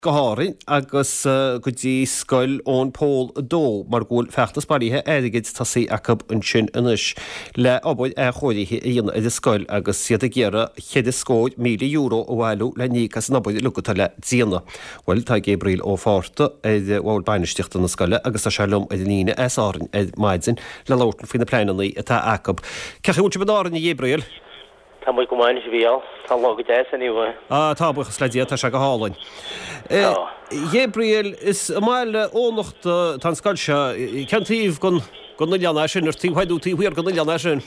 Go hÁrainn agus go dtí Scoil Eoin Pól 2 mar go bhfuil feachtas bailithe airgid tosaithe acu ansin anois le obair athchóirithe a dhéanamh ar an scoil agus iad ag iarraidh €24,000 a bhailiú le n-íoc as an obair uilig atá le déanamh. Bhuel, tá Gabriel Ó Fátharta ar bhord bainistíochta na scoile agus tá sé liom ar an líne as Árainn ar maidin le labhairt faoi na pleananna atá acu. Cén chaoi a bhfuil sibh in Árainn, a Ghabriel? Tá muid go maith anois, a Mhícheál. Tá an lá go deas anyway. Ah, tá, buíochas le Dia, tá sé go hálainn. Tá. Gabriel, is i mbaile Eoghanachta atá an scoil seo. Cén taobh den, den oileán é sin? Ar taobh thoir nó taobh thiar den oileán é sin?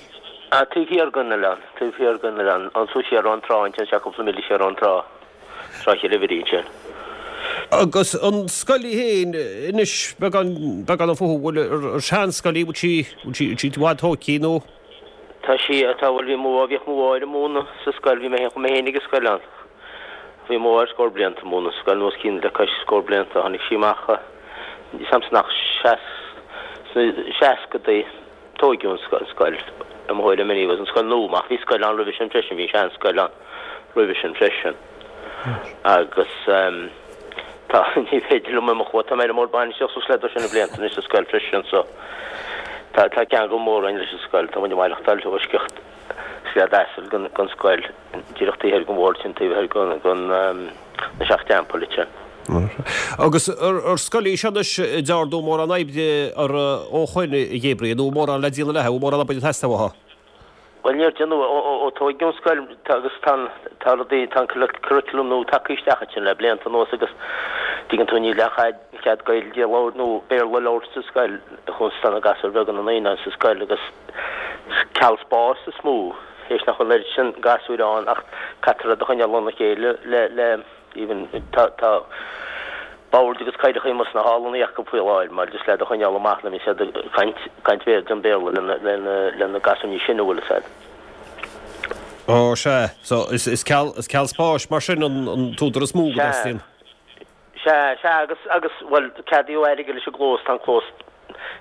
Ah, taobh thiar den oileán, taobh thiar den oileán. Anso siar ón trá ansin, sea, cúpla míle siar ón trá, Trá Chill Uimhrí ansin. Agus an scoil í féin, anois, beagán, beagán fúthu, bhfuil, ar seanscoil í, bhfuil sí, bhfuil sí, bhfuil sí i bhfad tóigthí nó? Tá sí, tá, bhuel bhí mo, bhíodh mo mháthair ag múineadh sa scoil, bhí mé féin, chuaigh mé féin ag an scoil ann. Bhí mo mháthair scór blianta ag múineadh sa scoil, nó os cionn le cois scór blianta. Tháinig sí amach, níl 's a'msa nach seas, sna seascadaí, tóigeadh an scoil, an scoil, i mo thuairim anyways, an scoil nua, ach bhí scoil ann roimhe sin freisin, bhí an seanscoil ann roimhe sin freisin. Agus tá, ní féidir liom imeacht uaidh, tá mé ar an mbord bainistíochta suas le dosaen blianta anois sa scoil freisin so tá, tá ceangal mór againn leis an scoil, tá muid ag maireachtáil i bhfoisceacht sleiad asail den, den scoil, díreach taobh thoir den bhord sin, taobh thoir den, den, na Seacht dTeampall ansin. Agus ar scoil í seo anois a ndearnadh mórán oibre uirthi ó shoin, a Ghabriel, nó mórán le déanamh léi, bhfuil mórán obair ag teastáil uaithi? Bhuel, níor déanadh ó tóigeadh an scoil agus tá an, tá rudaí, tá an curriculum nua tagtha isteach ansin le blianta anuas agus tuigeann tú níl aon chead Gaeilge a labhairt nó Béarla a labhairt sa scoil chúns tá na gasúir bheaga na naíonáin sa scoil agus ceal spáis is mó théis nach bhfuil an oiread sin gasúir ann ach caithfear iad a choinneáil óna chéile le, le. Even tá tá boird agus cathaoireacha amuigh sna hallanna acu faoi láthair mar just le iad a choinneáil amach nuair a bhíonn siad ag caint caint Bhéarla an Béarla lena lena lena gasúir níos sine bhfuil fhios a'd. Ó sea, so is is ceal is ceal spáis mar sin an an t-údar is mó go Sea, dteastaíonn. sea, sea agus agus bhuel ceadaíodh airgead leis an gclós, tá an clós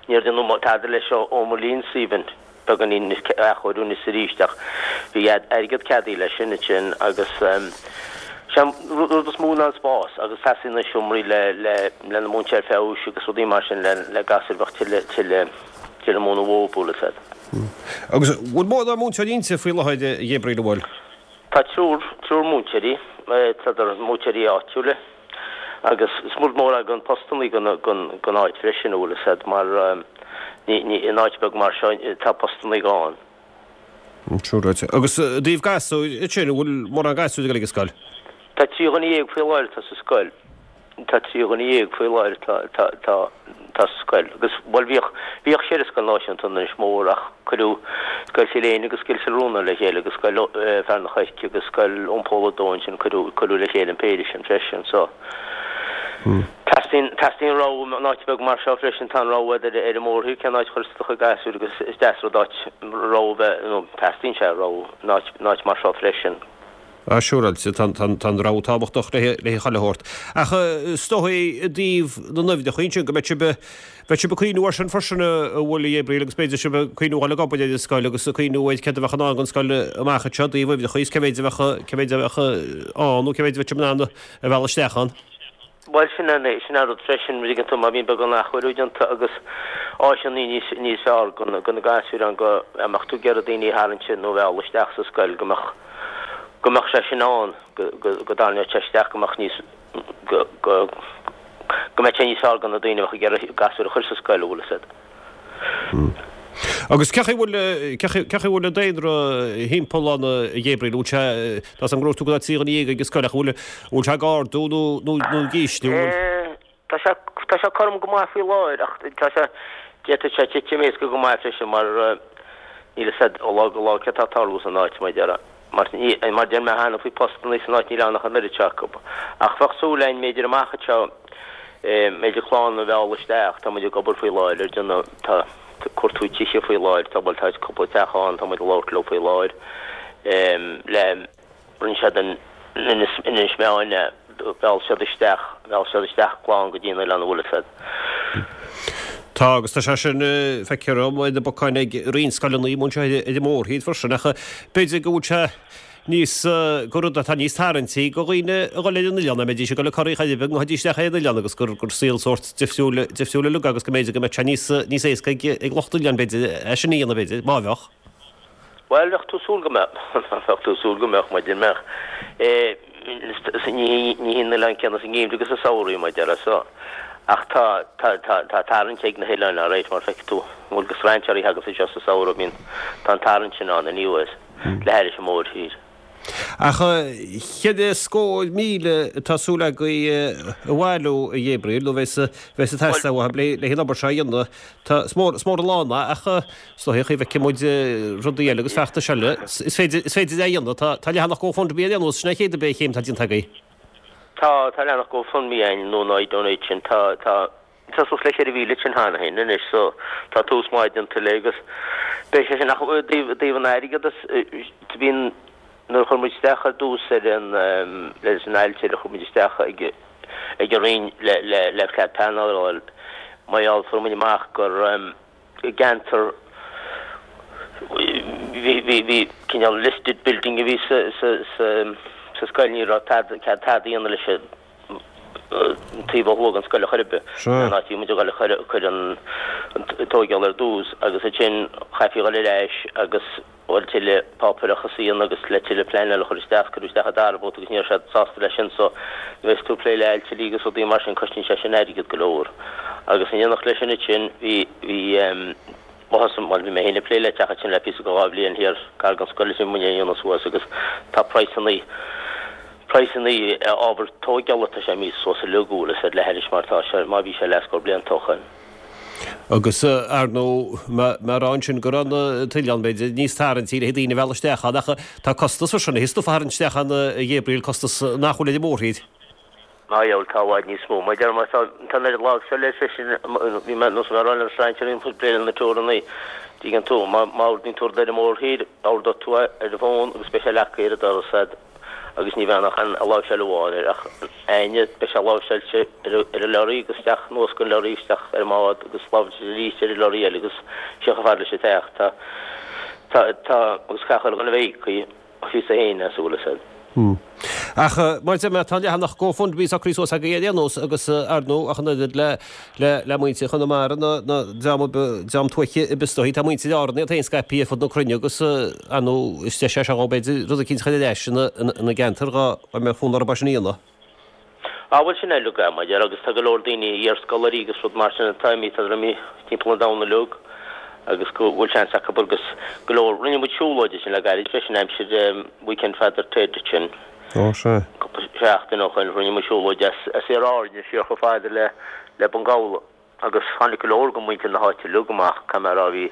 Níor déanadh tada leis ó mo linnse even, beagáinín athchóiriú anois is arís ach bhí airgead ceadaithe leis sin ansin agus sé an rud is mó ná an spás agus teastaíonn na seomraí le le le na múinteoirí feabhais agus rudaí mar sin le le gasúir bheadh tuilleadh tuilleadh tuilleadh múineadh uathu bhfuil fhios a'd. Agus bhfuil mórán múinteoirí inti faoi láthair a Ghabriel an bhfuil? Tá triúr triúr múinteoirí, tá múinteoirí áitiúla. Agus is rud mór é don postannaí don don áit freisin, an bhfuil fhios a'd, mar ní ní in áit beag mar seo tá postannaí gann. Sure. Agus i dtaobh gasúir ansin, an bhfuil mórán gasúir ag dul ag an scoil? Tá 13 dhuine faoi láthair atá sa scoil. Tá 13 dhuine faoi láthair atá atá atá atá sa scoil. Agus bhuel bhíodh bhíodh sé ar an scoil náisiúnta in Inis Mór ach cuireadh Scoil Chill Éinne agus Scoil Chill Rónáin le chéile agus Scoil Fear an Choirce agus Scoil Eoin Pól a Dó ansin cuireadh cuireadh le chéile an péire sin freisin so teastaíonn teastaíonn rogha in áit beag mar seo freisin tá an rogha ar ar an mórthír cén áit a chuirfeas do chuid gasúir agus is deas rud áit rogha bheith nó teastaíonn sé rogha in áit in áit mar seo freisin. Ah, siúráilte, tá an rogha tábhachtach le chuile shórt. Ach is dóigh i dtaobh na n-uimhreacha ansin go mbeidh sibh, beidh sibh ag cuimhniú air sin freisin an bhfuil, a Ghabriel, agus b'fhéidir sibh ag cuimhniú dhul ag obair ar an scoil agus ag cuimhniú ar céard a bheadh i ndán don scoil amach anseo i dtaobh uimhreacha is cé mhéid a bheadh, cé mhéid a bheadh ann nó cé mhéid a bheadh sibh in ann a mhealladh isteach ann. Bhuel, sin é, sin é rud freisin, an dtuigeann tú, má bhíonn beagán athchóiriú déanta agus áiseanna níos, níos fearr do na, do na gasúir ann go mbeadh tú ag iarraidh daoine a tharraingt nó a mhealladh isteach sa scoil, go mbeadh, go mbeadh sé sin ann, go, go, go dtarraingeodh sé isteach, go mbeadh níos, go, go, go mbeadh sé níos fearr do na daoine a bheadh ag iarraidh gasúir a chur sa scoil, an bhfuil fhios a'd. Agus cén chaoi a bhfuil, cén chaoi a bhfuil an daonra thimpeall ann, a Ghabriel, an bhfuil sé, tá 's a'm go ndúirt tú go raibh 13 dhuine ag an scoil ach an bhfuil, an bhfuil sé ag ardú nó, nó, nó ag ísliú, an bhfuil? Tá sé, tá sé cothrom go maith faoi láthair ach tá sé, d'fhéadfadh sé titim éasca go maith freisin mar níl fhios a'd ó lá go lá céard tá ag tarlú san áit mar a déarfá. Mar mar deir mé cheana faoi postannaí san áit níl ann ach an oiread seo acu. Ach bheadh súil againn mb'fhéidir amach anseo mb'fhéidir clann a mhealladh isteach. Tá muid ag obair faoi láthair ar déanamh tá cuartú tithe faoi láthair tá bhuel tá cúpla teach ann tá muid ag labhairt leo faoi láthair le rinne siad in Inis Inis Meáin é mheall siad isteach mheall siad isteach clann go dtí an oileán an bhfuil fhios a'd. Tá, agus tá sé sin, feictear dom, ar na bacáin ag roinnt scoileanna amuigh anseo ar an mórthír freisin, ach b'fhéidir go bhfuil sé. níos, gur rud atá níos tarraingtí go dhaoine a dhul ar an oileán, dá mbeidís ag dul go Corraigh chor ar bith, go ngabhfaidís isteach ar an oileán agus gur, gur saol sórt difriúil, difriúil uilig agus go mb'fhéidir go mbeadh sé níos, níos éasca ag, ag lucht oileáin b'fhéidir é sin a dhéanamh b'fhéidir, má bheadh. Bhuel, bheadh tú ag súil go mbeadh, bheadh tú ag súil go mbeadh, mar mbeadh. Ní hí an oileán céanna sa ngeimhreadh agus sa samhradh, mar a déarfá so. Ach tá, tá, tá, tá tarraingt ag na hoileáin alright, mar feicfidh tú, bhfuil go strainséirí a thaganns anseo sa samhradh, bíonn, tá an tarraingt sin ann anyways, le hairis an mórthír. Ach 400,000 atá súil agaibh a bhailiú, a Ghabriel, nó bheas, bheas ag teastáil uaibh le, le an obair seo a dhéanamh. Tá, is mór, is mór an lán é, ach is dóigh chaoi bhfeicfidh muid rudaí eile agus feachtais eile. Is féidir, is féidir é a dhéanamh. Tá, tá leathanach GoFundMe ar aon nós, sin é an chéad chéim atá déanta agaibh. Tá, tá leathanach GoFundMe againn nó an iDonate sin. Tá, tá, tá suas le 4,000 sin cheana féin anois so tá tús maith déanta le agus beidh sé sin ach i dtaobh, i dtaobh an airgeadas, bíonn, nuair a chuir muid isteach ar dtús ar an, leis an ailtire, chuir muid isteach ag, ag an Roinn le, le, le cead pleanála a fháil, mar gheall, fuair muid amach gur i gceantar, bhí, bhí, bhí cineál listed building a bhí sa, sa, sa, sa scoil, ní raibh tada, cead tada a dhéanamh leis an taobh ó thuaidh den scoil a chor ar bith, an áit a bhí muid ag dul a chur, cur an, an tóigeáil ar dtús agus ansin chaithfí a dhul ar ais agus bhuel tuilleadh páipéarachas a dhéanamh agus le tuilleadh pleanáil a chur isteach, cuireadh isteach an dara babhta agus ní raibh siad sásta leis sin so nuair a bheas tú ag plé le ailtirí agus rudaí mar sin cosnaíonn sé sin airgead go leor. Agus in éineacht leis sin ansin bhí, bhí em, thosaigh, bhuel bhí mé féin ag plé le teach ansin le píosa go 2 bhliain thiar gar don scoil is bhí muid é a dhéanamh suas agus tá praghsannaí, praghsannaí ábhar tóigeála tá sé imithe suas uilig bhfuil a fhios a'd le hairis mar tá sé, mar bhí sé leathscór blianta ó shoin. Agus, ar ndóigh, mar a rá ansin go raibh an t-oileán, b'fhéidir, níos tarraingtí le daoine a mhealladh isteach ann, ach tá costas freisin, thig stuif a tharraingt isteach ann, a Ghabriel, costas nach bhfuil ar an mórthír. Á, dheabhail, tá i bhfad níos mó. Mar deir, má tá an oiread láimhseáil air freisin, bhí mé, nós mé a rá le strainséirí, ag plé le na teorannaí, dtuigeann tú, má ordaíonn tú rud ar an mórthír, ordóidh tú é ar an bhfón agus beidh sé leagtha ar an doras a'd. agus ní bheidh ach an láimhseáil amháin air ach againne beidh sé láimhseáilte ar an leoraí agus isteach anuas den leoraí isteach ar an mbád agus láimhseáilte arís ar an leoraí eile agus siar chomh fada leis an teach. Tá, tá, tá, agus caithfidh chuile dhuine a bheith íoctha phíosa féin as a bhfuil fhios a'd. Ach mar a deir mé, tá an leathanach GoFundMe socraithe suas agaibh ar aon nós agus ar ndóigh ach an oiread le le le muintir Chonamara ná ná dream dream tuaithe ar bith is dóichí. Tá muintir Árann iad féin scaipthe ar fud na cruinne agus ar ndóigh is deis é seo dhóibh b'fhéidir rud eicínt a chur ar ais ina ina gceantar dhá mbeadh fonn orthu é sin a dhéanamh. Á bhuel sin uilig é, mar deir, agus tá go leor daoine, iarscoláirí agus rud mar sin atá imithe, tá imithe timpeall an domhain uilig agus go bhfuil seans acu agus go leor, rinne muid siúlóid ansin le gairid freisin aimsir weekend Father Ted sin. Ó sea. Cúpla seachtain ó shoin rinne muid siúlóid as as Iar Áirne siar chomh fada le le Bun Gabhla agus tháinig go leor de mhuintir na háite uilig amach, caithfidh mé a rá bhí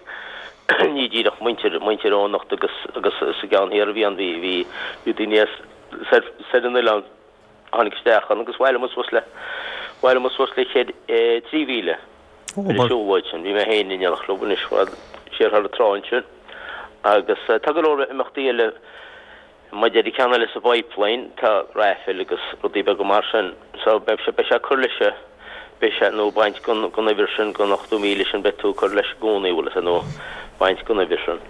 ní díreach muintir muintir Eoghanacht agus agus sa gceann thiar a bhí ann bhí bhí bhí daoine as soir soir an oileán a tháinig isteach ann agus bhailigh muid suas le bhailigh muid suas le 3,000 ar an siúlóid sin. Bhí mé féin in éineacht leo anois siar thar an trá ansin agus tá go leor imeachtaí eile Maidir le ceann eile sa bpipeline, tá raffle agus rudaí beaga mar sin. So beidh sé, beidh sé ag cur leis, beidh sé, nó baint den, den uimhir sin, den 80,000 sin, beidh tú ag cur leis i gcónaí, bhfuil a fhios a'd, nó baint den uimhir sin.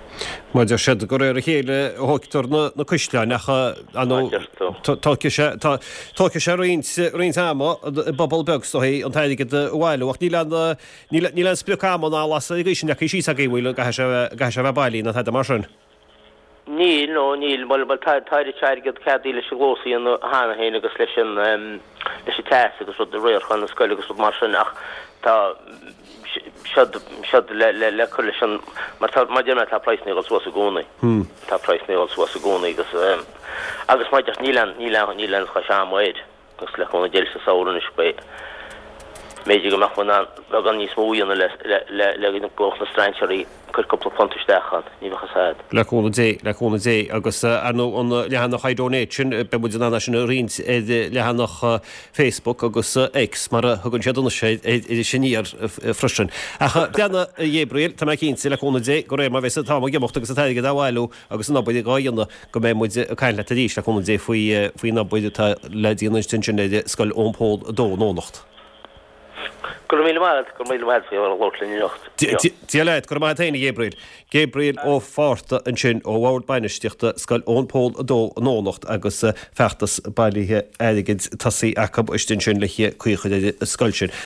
Mar deir siad gur ar a chéile a thóigtear na, na caisleáin ach ar ndóigh tógfaidh sé, tá, tógfaidh sé roinnt, roinnt ama i bpobal beag is dóichí an t-airgead a bhailiú ach níl aon, níl, níl aon sprioc ama ná lasadh ag aois sin leagtha síos agaibh, bhfuil, an gcaithfidh sé, an gcaithfidh sé a bheith bailithe nó tada mar sin. Níl, no, níl. Bhuel, bhuel, tá, tá oiread airgead ceadaithe leis an gclós a dhéanamh cheana féin agus leis an, leis an teas agus rud, riarachán na scoile agus rud mar sin ach tá siad, siad le, le, le cur leis an, mar tá, mar deir mé, tá praghsanna ag dul suas i gcónaí. Tá praghsanna ag dul suas i gcónaí agus, agus mar deir, níl aon, níl aon, níl aon chois ama air. Agus le cúnamh Dé sa samhradh anois beidh, b'fhéidir go mbeadh muid in ann beagán níos mó a dhéanamh le, le, le go mbeadh na strainséirí ag cur cúpla punt isteach ann, ní bheadh fhios a'd. Le cúnamh Dé, le cúnamh Dé. Agus ar ndóigh an leathanach iDonate sin, beidh muid in ann é sin a roinnt ar leathanach Facebook agus X mar a thugann siad anois air, Iris Aniar freisin. Ach breathnaigh a Ghabriel, tá mé cinnte, le cúnamh Dé, go réir mar bheas an t-am ag imeacht agus an t-airgead á bhailiú agus an obair dhá dhéanamh, go mbeidh muid ag caint leat arís, le cúnamh Dé, faoi faoin obair atá le déanamh ansin ar Scoil Eoin Pól 2 in Eoghanacht. Go raibh míle maith agat, go raibh míle maith agat faoi labhairt linn anocht. Dia leat, go raibh maith agat féin a Ghabriel. Gabriel Ó Fátharta ansin ó Bhord Bainistíochta Scoil Eoin Pól 2 in Eoghanacht agus feachtas bailithe airgid tosaithe acu istigh ansin le caoi a chur ar an scoil sin.